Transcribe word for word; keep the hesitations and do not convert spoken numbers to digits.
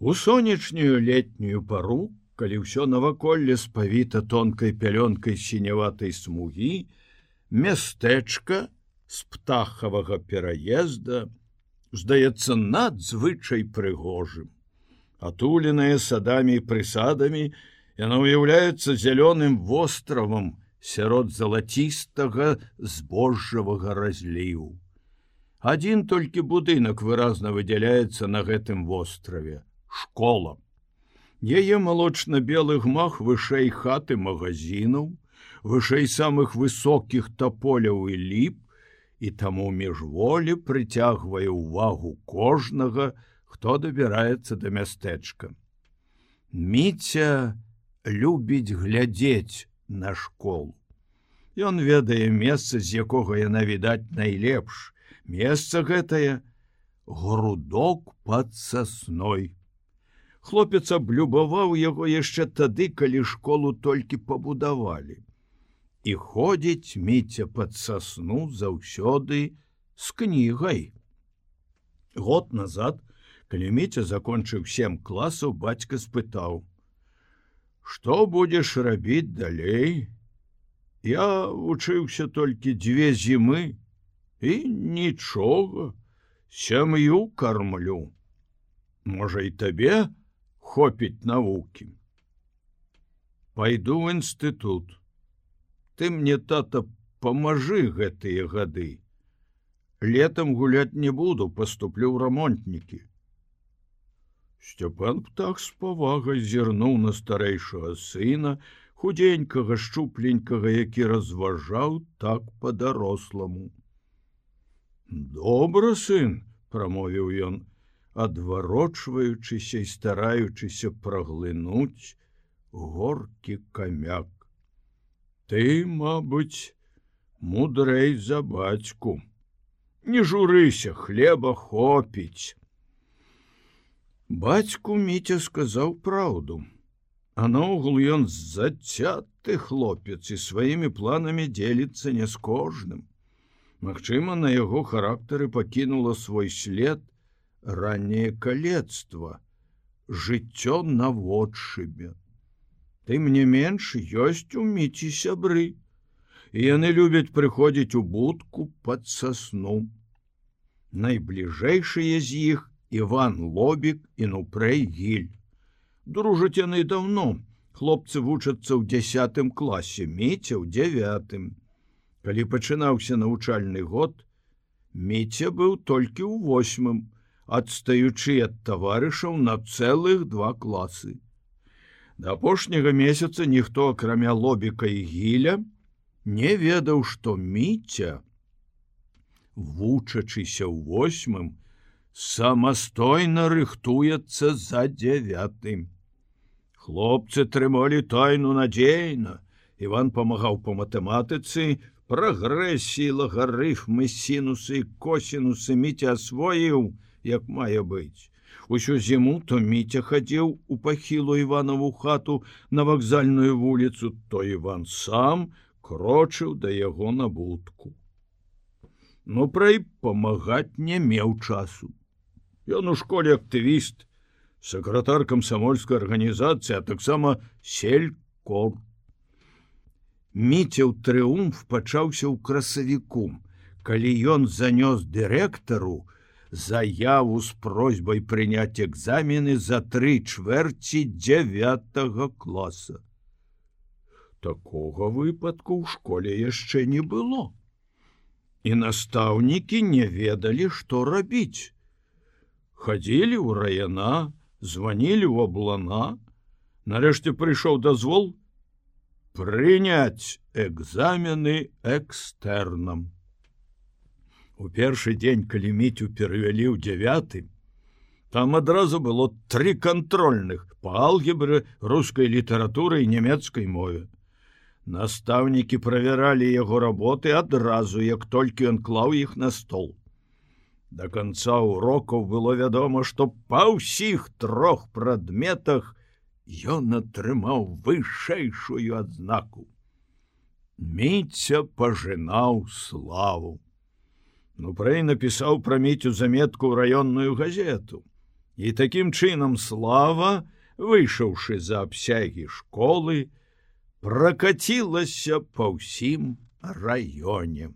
У сонечную летнюю пару, калі ўсё наваколле спавіта тонкай пялёнкай сіняватай смугі, мястэчка з птахавага пераезда здаецца надзвычай прыгожым. Атуленае садамі і прысадамі, яна ўяўляецца зялёным востравам сярод залацістага збожжавага разліву. Адзін толькі будынак выразна выдзяляецца на гэтым востраве — школа. Яе малочна-белы гмах вышэй хаты магазінаў, вышэй самых высокіх таполяў і ліп, і таму міжволі прыцягвае ўвагу кожнага, хто дабіраецца да мястэчка. Міця любіць глядзець на школу. Ён ведае месца, з якога яна відаць найлепш. Месца гэтае — грудок пад сасной. Хлопец аблюбаваў яго яшчэ тады, калі школу толькі пабудавалі. І ходзіць Міця пад сасну заўсёды з кнігай. Год назад, калі Міця закончыў сем класаў, бацька спытаў: «Што будзеш рабіць далей? Я вучыўся толькі дзве зімы і нічога, сям'ю кармлю. Можа, і табе хопіць навукі? Пайду ў інстытут. Ты мне, тата, памажы гэтыя гады. Летам гуляць не буду, паступлю ў рамонтнікі». Сцяпан птах з павагай зірнуў на старэйшага сына, худенькага, шчупленькага, які разважаў так па-даросламу. «Добра, сын», — прамовіў ён, адварочваючыся і стараючыся праглынуць горкі камяк. «Ты, мабыць, мудрэй за бацьку. Не журыся, хлеба хопіць». Бацьку Міця сказаў праўду. А наогул ён зацяты хлопец і сваімі планамі дзеліцца не з кожным. Магчыма, на яго характары пакінула свой след ранняе калецтва, жыццё наводшыбе. Тым не менш, ёсць у Міці сябры, і яны любяць прыходзіць у будку пад сасну. Найбліжэйшыя з іх Іван Лобік і Нупрэй Гіль. Дружаць яны даўно. Хлопцы вучацца ў дзясятым класе, Міця ў дзявятым. Калі пачынаўся навучальны год, Міця быў толькі ў восьмым, адстаючы ад таварышаў на цэлых два класы. Да апошняга месяца ніхто, акрамя Лобіка і Гіля, не ведаў, што Міця, вучачыся ў восьмым, самастойна рыхтуецца за дзявятым. Хлопцы трымалі тайну надзейна. Іван памагаў па матэматыцы, прагрэсіі, лагарыфмы, сінусы і косінусы Міця асвоіў, як мае быць. Усю зіму то Міця хадзіў у пахілу Іванову хату на вакзальную вуліцу, то Іван сам крочыў да яго на будку. Нупрэй памагаць не меў часу. Ён у школе актывіст, сакратар камсамольскай арганізацыі, а таксама селькор. Міця ў трыумф пачаўся ў красавіку, калі ён занёс дырэктару заяву з просьбай прыняць экзамены за тры чвэрці дзявятага класа. Такога выпадку ў школе яшчэ не было. І настаўнікі не ведалі, што рабіць. Хадзілі ў райана, званілі ў аблана. Нарэшце прыйшоў дазвол прыняць экзамены экстэрнам. У першы дзень, калі Міцю перавялі ў дзявяты, там адразу было тры кантрольных па алгебры, рускай літаратуры і нямецкай мове. Настаўнікі правяралі яго работы адразу, як толькі ён клаў іх на стол. Да канца урокаў было вядома, што па ўсіх трох прадметах ён атрымаў вышэйшую адзнаку. Міця пажынаў славу. Нупрэй напісаў пра Міцю заметку ў раённую газету. І такім чынам Слава, выйшаўшы за абсягі школы, пракацілася па ўсім раёне.